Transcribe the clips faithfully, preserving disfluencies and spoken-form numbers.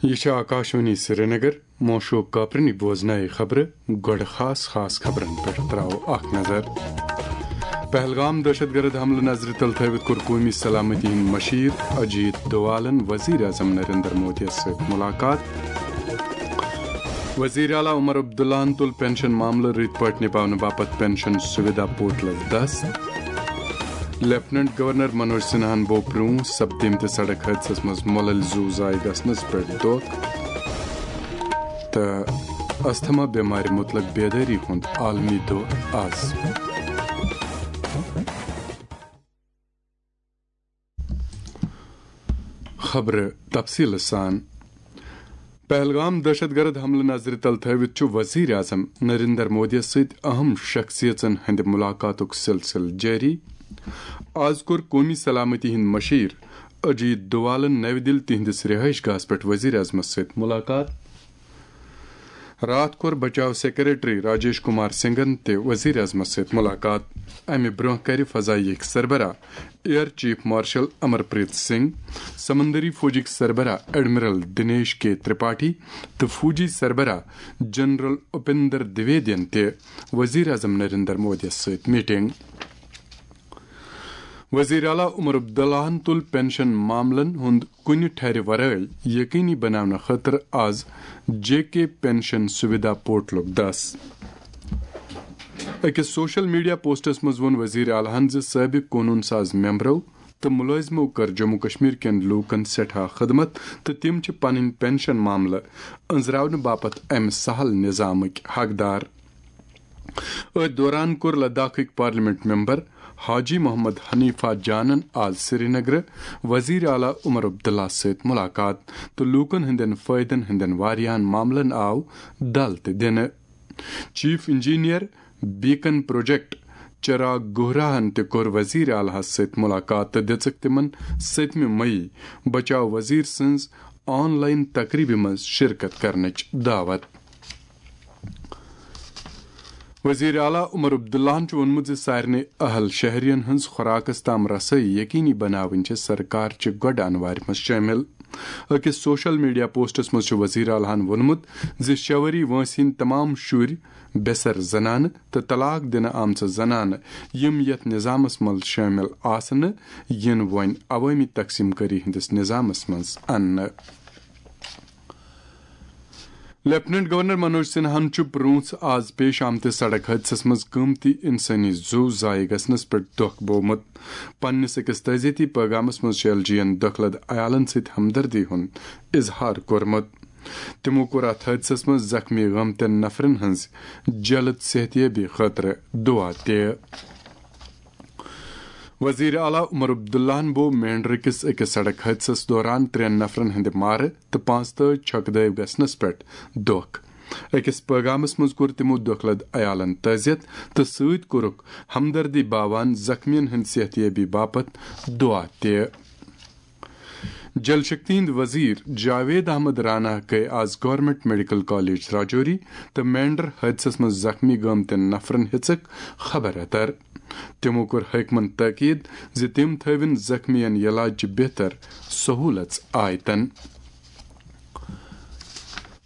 یہِ چھِ آکاشوانی سرینگر۔ موشوق کاپرنی بوزنایہِ خبرٕ۔ گۄڈٕ خاص خاص خبرن پٮ۪ٹھ تراوو اکھ نظر۔ پہلگام دہشت گرد حملہٕ نظرِ تل تھٲوِتھ کوٚر قومی سلامتی ہُنٛد مشیر اجیت دووالن وزیر اعظم نریندر مودیَس سۭتۍ ملاقات۔ وزیر اعلیٰ عمر عبداللہن تُل پینشن معاملہٕ رٕتۍ پٲٹھۍ نِباونہٕ باپتھ پینشن سویدھا پورٹلس دس۔ لیفٹیننٹ گورنر منوج سنہاہن بوو پرٛونٛہہ سپدیمتِس سڑک حٲدثس منٛز مۄلٕلۍ زُو ضایع گژھنس پٮ۪ٹھ دۄکھ۔ تہٕ استھما بٮ۪مارِ مُتلق بیدٲری ہُنٛد عالمی دۄہ آز۔ خبرٕ تفصیٖلہٕ سان۔ پہلگام دہشت گرد حملہٕ نظرِ تل تھٲوِتھ چھُ وزیر اعظم نریندر مودیَس سۭتۍ اہم شخصیژن ہٕنٛدِ ملاقاتُک سلسلہٕ جٲری۔ آز کوٚر قومی سلامتی ہُنٛد مشیر اجیت دووالن نَوِ دِلہِ تِہنٛدِس رہائش گاہس پٮ۪ٹھ وزیر اعظمس سۭتۍ ملاقات۔ راتھ کوٚر بچاو سیکرٹری راجیش کمار سنگھن تہِ وزیر اعظمس سۭتۍ ملاقات۔ امہِ برونٛہہ کرِ فضائیہٕکۍ سربراہ ایئر چیف مارشل امر پریت سنگھ، سمندری فوجٕکۍ سربراہ ایڈمرل دنیش کے ترپاٹھی تہٕ فوجی سربراہ جنرل اپندر دویدین تہِ وزیر اعظم نریندر مودیَس سۭتۍ میٹنگ۔ وزیر اعلیٰ عمر عبداللہن تُل پینشن معاملن ہُنٛد کُنہِ ٹھرِ ورٲے یقینی بناونہٕ خٲطرٕ آز جے کے پینشن سویدھا پورٹلُک دس۔ أکِس سوشل میڈیا پوسٹس منٛز ووٚن وزیر اعلیٰ ہن زِ سٲبق قونوٗن ساز ممبرو تہٕ مُلٲزمو کٔر جموں کشمیر کٮ۪ن لوٗکن سٮ۪ٹھاہ خدمت تہٕ تِم چھِ پنٕنۍ پینشن معاملہٕ أنٛزراونہٕ باپتھ امہِ سہل نظامٕکۍ حقدار۔ أتھۍ دوران کوٚر لداخٕکۍ پارلیمنٹ ممبر حاجی محمد حنیفہ جانن آز سرینگرٕ وزیر اعلیٰ عمر عبداللہ سۭتۍ ملاقات تہٕ لوٗکن ہٕنٛدٮ۪ن فٲیدن ہٕنٛدٮ۪ن واریاہن معاملن آو دل تہِ دِنہٕ۔ چیف انجینئر بیکن پروجیکٹ چراغ گوہراہن تہِ کوٚر وزیر اعلیٰ ہس سۭتۍ ملاقات تہٕ دِژٕکھ تِمن سٔتمہِ مئی بچاو وزیر سٕنٛز آن لائن تقریبہِ منٛز شرکت کرنٕچ دعوت۔ وزیر اعلیٰ عمر عبداللہن چھُ ووٚنمُت زِ سارنٕے اہل شہرین ہٕنٛز خوراکس تام رسٲیی یقینی بناوٕنۍ چھِ سرکار چہِ گۄڈٕ انوارِ منٛز شٲمِل۔ أکِس سوشل میڈیا پوسٹس منٛز چھُ وزیر اعلیٰ ہن ووٚنمُت زِ شےٚ ؤری وٲنٛسہِ ہٕنٛدۍ تمام شُرۍ، بے سر زنانہٕ تہٕ طلاق دِنہٕ آمژٕ زنانہٕ، یِم یتھ نظامس منٛز شٲمِل آسہٕ نہٕ، یِن وۄنۍ عوٲمی تقسیٖم کٲری ہٕنٛدِس نظامس منٛز اننہٕ۔ لیفٹیننٹ گورنر منوج سنہاہن چھُ پرٛونٛہہ آز پیش آمتِس سڑک حٲدثس منٛز قۭمتی انسٲنی زُو ضایع گژھنس پٮ۪ٹھ دۄکھ بوومُت۔ پننِس أکِس تعزیتی پیغامس منٛز چھُ ایل جی ین دۄکھٕ لد عیالن سۭتۍ ہمدردی ہُنٛد اظہار کوٚرمُت۔ تِمو کوٚر اتھ حٲدثس منٛز زخمی گٲمتٮ۪ن نفرن ہٕنٛز جلد صحتیابی خٲطرٕ دُعا تہِ۔ وزیر اعلیٰ عمر عبداللہن بوو مینڈرٕ کِس أکِس سڑک حٲدثس دوران ترٛٮ۪ن نفرن ہٕنٛدِ مارٕ تہٕ پانٛژتٲجۍ چھۄکہٕ دٲوۍ گژھنس پٮ۪ٹھ دۄکھ۔ أکِس پٲغامس منٛز کوٚر تِمو دۄکھٕ لد عیالن تعزیت تہٕ سۭتۍ کوٚرُکھ ہمدردی باوان زخمیَن ہٕنٛدِ صحتیابی باپتھ دُعا تہِ۔ جل شکتی ہٕنٛدۍ وزیر جاوید احمد رانا گٔیہِ آز گورنمنٹ میڈیکل کالج راجوری تہٕ مینڈر حٲدثس منٛز زخمی گٲمتٮ۪ن نفرن ہیژٕکھ خبر اتر۔ تِمو کوٚر حٲکمن تٲکید زِ تِم تھٲوِن زخمیَن علاج چہِ بہتر سہوٗلژ آیتن۔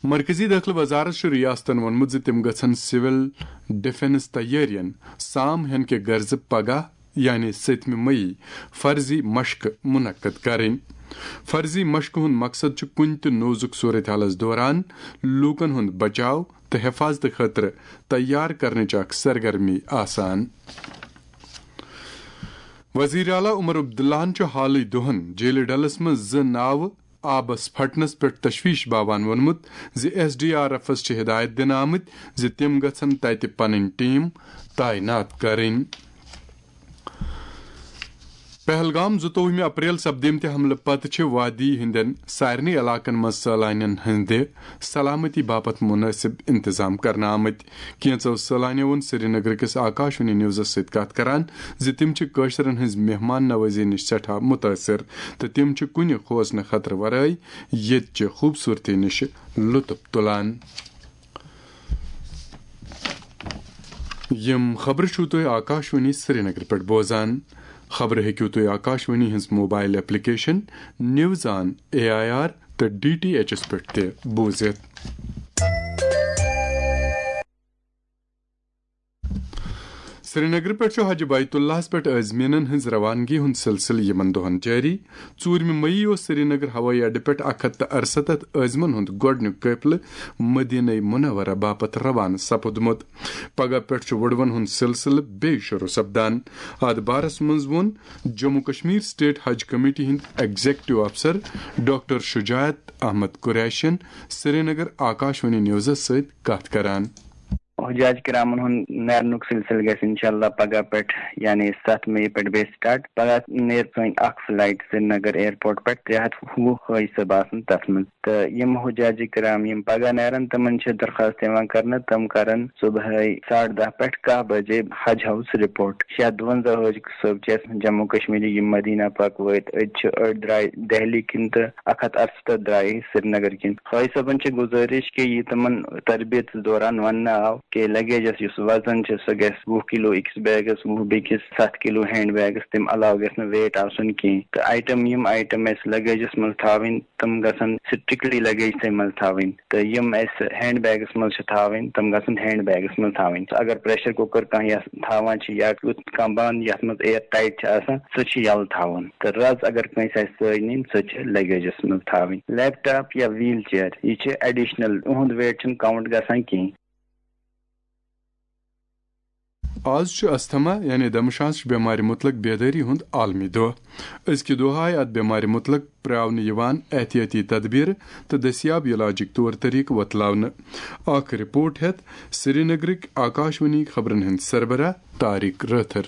مرکزی دٲخلہٕ وزارت چھُ ریاستن ووٚنمُت زِ تِم گژھن سول ڈیفنس تیٲرین سام ہینہٕ کہِ غرضہٕ پگاہ، یعنی سٔتمہِ مئی، فرضی مشقہٕ منعقد کرٕنۍ۔ فرضی مشقہٕ ہُنٛد مقصد چھُ کُنہِ تہِ نوزُک صورتحالس دوران لوٗکن ہُنٛد بچاو تہٕ حفاظتہٕ خٲطرٕ تیار کرنٕچ اکھ سرگرمی آسان۔ وزیر اعلیٰ عمر عبداللہن چھُ حالٕے دۄہن جیلہِ ڈلس منٛز زٕ ناوٕ آبس پھٹنس پٮ۪ٹھ تشویش باوان ووٚنمُت زِ ایس ڈی آر ایفس چھِ ہدایت دِنہٕ آمٕتۍ زِ تِم گژھن تتہِ پنٕنۍ ٹیم تعینات کرٕنۍ۔ پہلگام، زٕتووُہمہِ اپریل سپدیمتہِ حملہٕ پتہٕ چھِ وادی ہٕنٛدٮ۪ن سارنٕے علاقن منٛز سٲلانٮ۪ن ہٕنٛدِ سلامتی باپتھ مُنٲسِب انتظام کرنہٕ آمٕتۍ۔ کینٛژو سٲلانیو ووٚن سرینگرٕ کِس آکاشوانی نیوزس سۭتۍ کتھ کران زِ تِم چھِ کٲشرٮ۪ن ہٕنٛز مہمان نوٲزی نِش سٮ۪ٹھاہ مُتٲثِر تہٕ تِم چھِ کُنہِ کھوژنہٕ خطرٕ ورٲے ییٚتہِ چہِ خوٗبصوٗرتی نِش لطف تُلان۔ یِم خبرٕ چھِو تُہۍ آکاشوانی سرینگرٕ پٮ۪ٹھ بوزان۔ خبرٕ ہیٚکِو تُہۍ آکاشوانی ہٕنٛز mobile application news on A I R تہٕ ڈی ٹی ایچ ایس پٮ۪ٹھ تہِ بوٗزِتھ۔ سرینگرٕ پٮ۪ٹھ چھُ حج بیت اللہَس پٮ۪ٹھ عازمیٖنَن ہٕنٛز روانگی ہُنٛد سلسلہٕ یِمَن دۄہَن جٲری۔ ژوٗرمہِ مئی اوس سرینگر ہوٲیی اڈٕ پٮ۪ٹھ اکھ ہتھ تہٕ ارستتھ عازمن ہُنٛد گۄڈٕنیُک قٲفلہٕ مدینہ منورہ باپتھ روانہٕ سپُدمُت۔ پگاہ پٮ۪ٹھ چھُ وُڑوَن ہُنٛد سلسلہٕ بیٚیہِ شروع سپدان۔ اتھ بارس منٛز ووٚن جموں کشمیر سٹیٹ حج کمیٹی ہٕنٛدۍ ایگزیکٹو افسر ڈاکٹر شجاعت احمد قریشین سرینگر آکاشوانی نیوزس سۭتۍ کتھ کران۔ حجاج کرامن ہُنٛد نیرنُک سلسلہٕ گژھِ انشاءاللہ پگاہ پٮ۪ٹھ، یعنی ستھ مئی پٮ۪ٹھ بیٚیہِ سٹارٹ۔ پگاہ نیرِ سٲنۍ اکھ فلائٹ سرینگر ایئرپورٹ پٮ۪ٹھ، ترٛےٚ ہتھ وُہ حٲجۍ صٲب آسن تتھ منٛز۔ تہٕ یِم حجاج کرام یِم پگاہ نیرن، تِمن چھِ درخواست یِوان کرنہٕ، تِم کرن صبحٲے ساڑٕ دَہ پٮ۪ٹھ کاہ بجے حج ہاؤس رپورٹ۔ شیٚے ہتھ دُوَنزاہ حٲجۍ صٲب چھِ اَسہِ جموں کشمیرٕکۍ، یِم مدینہ پاک وٲتۍ۔ أڑۍ چھِ، أڑۍ درٛاے دہلی کِنۍ تہٕ اکھ ہتھ ارستتھ درٛاے سرینگر کِنۍ۔ حٲجۍ صٲبن چھِ گُزٲرِش کہِ یہِ تِمن تربیت دوران وننہٕ آو کہِ لگیجس یُس وزن چھُ، سُہ گژھِ وُہ کلو أکِس بیگس، وُہ بیٚکِس، ستھ کلو ہینڈ بیگس، تمہِ علاوٕ گژھِ نہٕ ویٹ آسُن کینٛہہ۔ تہٕ آیٹم، یِم آیٹم اَسہِ لگیجس منٛز تھاوٕنۍ، تِم گژھن سٹرکٹلی لگیج تھٕے منٛز تھاوٕنۍ، تہٕ یِم اَسہِ ہینڈ بیگس منٛز چھِ تھاوٕنۍ، تِم گژھن ہینڈ بیگس منٛز تھاوٕنۍ۔ اگر پریشر کوکر کانٛہہ یتھ تھاوان چھِ یا یُتھ کانٛہہ بانہٕ یتھ منٛز ایر ٹائٹ چھِ آسان، سُہ چھُ یلہٕ تھاوُن۔ تہٕ رز اگر کٲنٛسہِ آسہِ سۭتۍ نِنۍ، سۄ چھِ لگیجس منٛز تھاوٕنۍ۔ لیپ ٹاپ یا ویل چیئر، یہِ چھِ ایڈیشنل، یِہُنٛد ویٹ چھُنہٕ کاؤنٹ گژھان کینٛہہ۔ آز چھُ استھما یعنی دمشانسٕچ بٮ۪مارِ مُتلق بیدٲری ہُنٛد عالمی دۄہ۔ أزکہِ دۄہ آیہِ اَتھ بٮ۪مارِ مُتلق پرٛاونہٕ یِوان احتیاطی تدبیرٕ تہٕ دٔستیاب علاجٕکۍ طور طریقہٕ وۄتلاونہٕ۔ اکھ رپورٹ ہٮ۪تھ سرینگرٕکۍ آکاشوانی خبرن ہٕنٛدۍ سربراہ طارق رٲتھر۔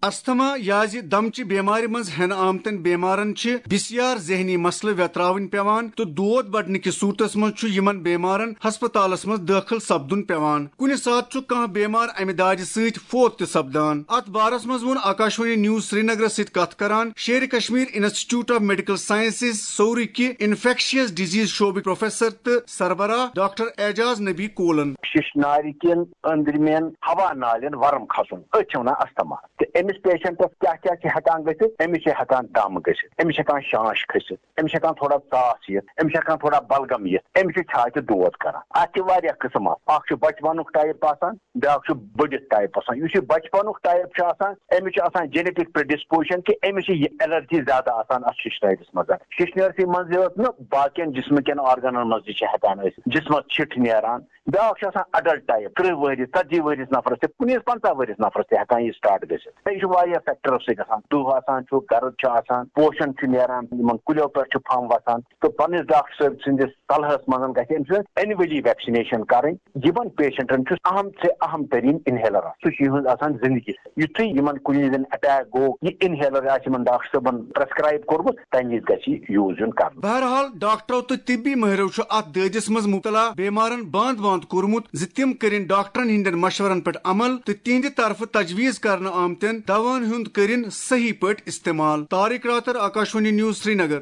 استھما یا زِ دمچہِ بیمارِ منٛز ہٮ۪نہٕ آمتٮ۪ن بیمارن چھِ بسیار ذہنی مسلہٕ ویتراوٕنۍ پٮ۪وان تہٕ دود بڑنہٕ کِس صورتس منٛز چھُ یِمن بیمارن ہسپتالس منٛز دٲخل سپدُن پٮ۪وان۔ کُنہِ ساتہٕ چھُ کانٛہہ بیمار امہِ دادِ سۭتۍ فوت تہِ سپدان۔ اتھ بارس منٛز ووٚن آکاشوانی نیوز سرینگرس سۭتۍ کتھ کران Sher-i-Kashmir institute of medical sciences سورُے کہِ انفیکشس ڈیزیز شعبٕکۍ پروفیسر تہٕ سربراہ ڈاکٹر اعجاز نبی کولن۔ ششنارِ کٮ۪ن أنٛدرِمٮ۪ن ہوا نالٮ۪ن ورم کھسُن، أتھۍ چھِ ونان استھما۔ تہٕ أمِس پیشنٹس کیٛاہ کیٛاہ چھِ ہٮ۪کان گٔژھِتھ؟ أمِس چھِ ہٮ۪کان دم گٔژھِتھ، أمِس چھِ ہٮ۪کان شانش کھٔسِتھ، أمِس چھِ ہٮ۪کان تھوڑا ژاس یِتھ، أمِس چھِ ہٮ۪کان تھوڑا بلغم یِتھ، أمِس چھِ چھاتہِ دود کران۔ اتھ چھِ واریاہ قٕسم اتھ۔ اکھ چھُ بچپنُک ٹائپ آسان، بیٛاکھ چھُ بٔڑِتھ ٹائپ آسان۔ یُس یہِ بچپنُک ٹائپ چھُ آسان، أمِس چھُ آسان جینیٹک پریڈسپوزیشن کہِ أمِس چھِ یہِ الرجی زیادٕ آسان اتھ ششنٲرِس منٛز۔ ششنٲرسٕے منٛز یوت نہٕ، باقین جسمہٕ کٮ۪ن آرگنن منٛز تہِ چھِ ہٮ۪کان ٲسِتھ۔ جسمس چھِٹھ نیران، بیٛاکھ چھُ آسان اڈلٹ ٹائپ، ترٕٛہ ؤہرِس، ژتجی ؤہرِس نفرس تہِ، کُنہِ پنٛژاہ ؤہرِس نفرس تہِ ہٮ۪کان یہِ سٹارٹ گٔژھِتھ۔ یہِ چھُ واریاہ فیکٹرو سۭتۍ گژھان، دُہ آسان چھُ، گرد چھُ آسان، پوشن چھُ نیران، یِمن کُلیو پٮ۪ٹھ چھُ پھمب وسان۔ تہٕ پننِس ڈاکٹر صٲب سٕنٛدِس صلحس منٛز گژھِ أمۍ سٕنٛز اینولی ویکسِنیشن کرٕنۍ۔ یِمن پیشنٹن چھُ اہم سے اہم ترین انہیلر آسان، سُہ چھُ یِہنٛز آسان زندگی۔ یُتھُے یِمن کُنہِ زن اٹیک گوٚو، یہِ انہیلر آسہِ یِمن ڈاکٹر صٲبن پرسکرائب کوٚرمُت، تمہِ وِزِ گژھِ یہِ یوٗز یُن کرنہٕ۔ بہرحال، ڈاکٹرو تہٕ طبی مٲہرو چھُ اتھ دٲدِس منٛز مبتلا بیمارن باند باند کوٚرمُت زِ تِم کٔرِن ڈاکٹرن ہٕنٛدٮ۪ن مشورن پٮ۪ٹھ عمل تہٕ تِہنٛدِ طرفہٕ تجویز کرنہٕ آمتٮ۪ن دوہن ہُنٛد کٔرِن صحیح پٲٹھۍ استعمال۔ طارق راتر، آکاشوانی نیوز، سرینگر۔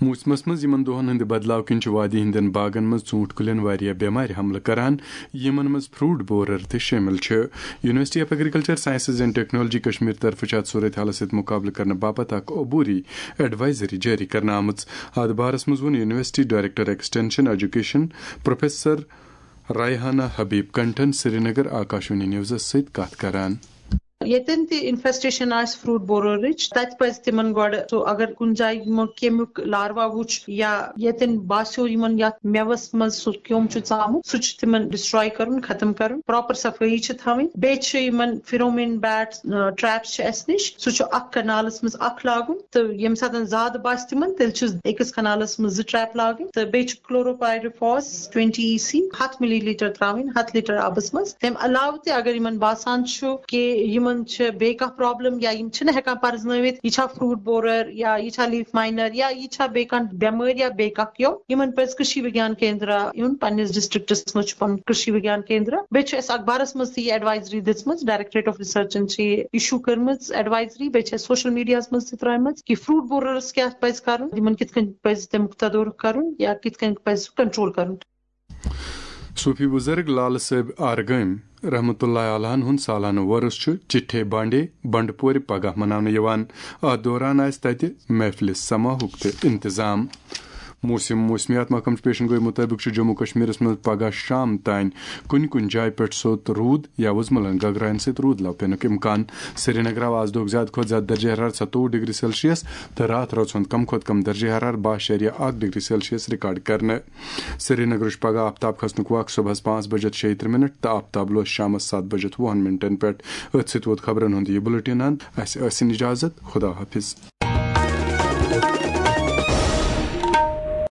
موسمس منٛز یِمن دۄہن ہٕنٛدِ بدلاو کِنۍ چھِ وادی ہٕنٛدٮ۪ن باغن منٛز ژوٗنٛٹھۍ کُلٮ۪ن واریاہ بٮ۪مارِ حملہٕ کران، یِمن منٛز فروٹ بورر تہِ شٲمِل چھِ۔ University of agriculture sciences and technology Kashmir طرفہٕ چھِ اتھ صورت حالس سۭتۍ مقابلہٕ کرنہٕ باپتھ اکھ عبوری ایڈوائزری جٲری کرنہٕ آمٕژ۔ اتھ بارس منٛز ووٚن university director extension education professor Raihana Habib کنٹھن سرینگر آکاشوانی نیوزس سۭتۍ کتھ کران۔ ییٚتٮ۪ن تہِ انفیسٹیشن آسہِ فروٹ بوررٕچ، تتہِ پزِ تِمن گۄڈٕ سُہ، اگر کُنہِ جایہِ یِمو کیٚمیُک لاروا وُچھ یا ییٚتٮ۪ن باسیو یِمن یتھ میوس منٛز سُہ کیوٚم چھُ ژامُت، سُہ چھُ تِمن ڈسٹراے کرُن، ختم کرُن، پراپر صفٲیی چھِ تھاوٕنۍ۔ بیٚیہِ چھِ یِمن فیرومین بیٹ ٹریپس چھِ اسہِ نِش، سُہ چھُ اکھ کنالس منٛز اکھ لاگُن، تہٕ ییٚمہِ ساتہٕ زیادٕ باسہِ تِمن، تیٚلہِ چھِ أکِس کنالس منٛز زٕ ٹریپ لاگٕنۍ، تہٕ بیٚیہِ چھُ کلوروپائریفاس ٹوینٹی ای سی ہتھ ملی لیٹر تراوٕنۍ ہتھ لیٹر آبس منٛز۔ تمہِ علاوٕ تہِ اگر یِمن باسان چھُ کہِ یِمن چھِ بیٚیہِ کانٛہہ پرابلم یا یِم چھِنہٕ ہٮ۪کان پرزنٲوِتھ، یہِ چھا فروٹ بورر یا یہِ چھا لیف ماینر یا یہِ چھا بیٚیہِ کانٛہہ بٮ۪مٲرۍ یا بیٚیہِ کانٛہہ کیوٚم، یِمن پزِ کٔشی وگیان کیندرا یُن۔ پننِس ڈسٹرکٹس منٛز چھُ پنُن کٔشی وگیان کیندرا۔ بیٚیہِ چھُ اَسہِ اخبارس منٛز تہِ یہِ ایڈوائزری دِژمٕژ، ڈائریکٹوریٹ آف ریسرچن چھِ یہِ ایشو کٔرمٕژ ایڈوائزری، بیٚیہِ چھِ اَسہِ سوشل میڈیاہس منٛز تہِ ترٲومٕژ کہِ فروٹ بوررس کیٛاہ پزِ کرُن، یِمن کِتھ کٔنۍ پزِ تمیُک تدارک کرُن یا کِتھ کٔنۍ پزِ سُہ کنٹرول کرُن۔ صوفی بزرگ لالہٕ صٲب آرگٲمۍ رحمتہ اللہ علیہن ہُنٛد سالانہٕ وۄرُس چھُ چٹھے بانڈے بنڈٕ پورِ پگاہ مناونہٕ یِوان۔ اتھ دوران آسہِ تتہِ محفلِ سماہُک تہِ انتظام۔ موسم موسمیات محکمہٕ چہِ پیشن گوئی مطٲبق چھُ جموں کشمیرس منٛز پگاہ شام تام کُنہِ کُنہِ جایہِ پٮ۪ٹھ سوٚت روٗد یا وُزملن گگراین سۭتۍ روٗد لو پینُک امکان۔ سرینگر آو آز دۄہُک زیادٕ کھۄتہٕ زیادٕ درجہ حرارت ستووُہ ڈگری سیلسیس تہٕ راتھ رٲژ ہُنٛد کم کھۄتہٕ کم درجہ حرارت باہ شیٚریہ اکھ ڈگری سیلسیس ریکارڈ کرنہٕ۔ سرینگرٕچ پگاہ آفتاب کھسنُک وق صبحس پانٛژھ بجے شیٚیہِ ترٕٛہ منٹ تہٕ آفتاب لوس شامس ستھ بجے وُہن منٹن پٮ۪ٹھ۔ أتھۍ سۭتۍ ووت خبرن ہُنٛد یہِ بُلٹن اند۔ اسہِ ٲسِن اجازت۔ خدا حافظ۔